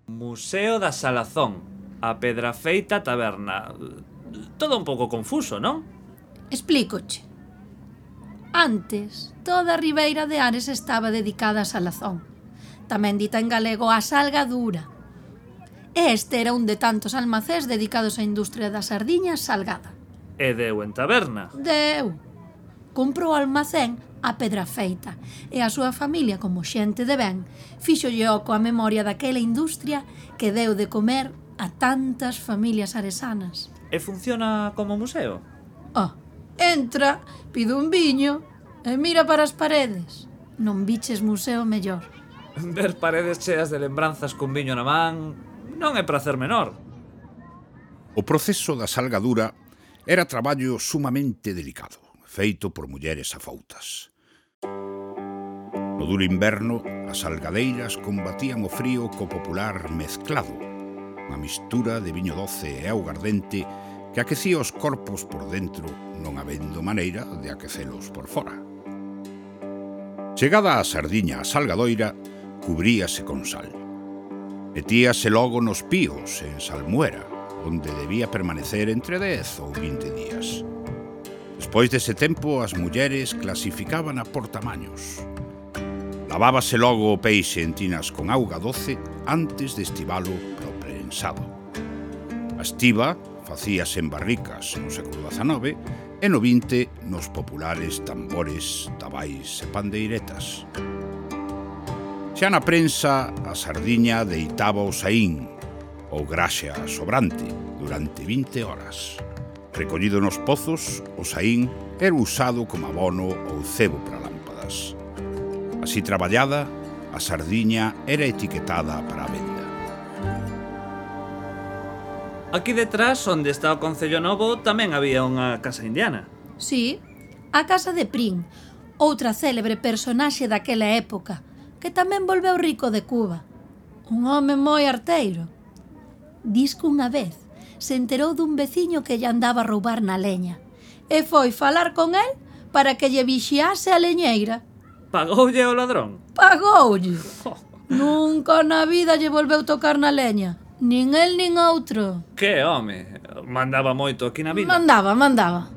Museo da Salazón, a Pedrafeita Taberna. Todo un pouco confuso, non? Explícoche. Antes, toda a ribeira de Ares estaba dedicada a Salazón, tamén dita en galego a Salgadura. Este era un de tantos almacéns dedicados á industria da sardiña salgada. E deu en taberna. Deu. Comprou o almacén a Pedrafeita e a súa familia, como xente de ben, fíxolle oco a memoria daquela industria que deu de comer a tantas familias aresanas. E funciona como museo? Entra, pide un viño e mira para as paredes. Non biches museo mellor. Ver paredes cheas de lembranzas con viño na man non é prazer menor. O proceso da salgadura era traballo sumamente delicado, feito por mulleres afoutas. No duro inverno, as salgadeiras combatían o frío co popular mezclado, unha mistura de viño doce e augardente que aquecía os corpos por dentro, non habendo maneira de aquecelos por fora. Chegada a sardiña a salgadoira, cubríase con sal. Metíase logo nos píos, en salmuera, onde debía permanecer entre 10 ou 20 días. Despois dese tempo, as mulleres clasificaban por tamaños. Lavábase logo o peixe en tinas con auga doce antes de estivalo pro prensado. A estiba facíase en barricas no século XIX e no XX nos populares tambores, tabais e pandeiretas. Xa na prensa, a sardiña deitaba o saín, ou graxa sobrante, durante 20 horas. Recollido nos pozos, o saín era usado como abono ou cebo para lámpadas. Así traballada, a sardiña era etiquetada para a venda. Aquí detrás, onde está o Concello Novo, tamén había unha casa indiana. Sí, a casa de Prín, outra célebre personaxe daquela época, que tamén volveu rico de Cuba. Un home moi arteiro. Dis que unha vez se enterou dun veciño que lle andaba a roubar na leña e foi falar con el para que lle vixiase a leñeira. Pagoulle o ladrón? Pagoulle. Nunca na vida lle volveu tocar na leña. Nin el nin outro. Que home, mandaba moito aquí na vila. Mandaba.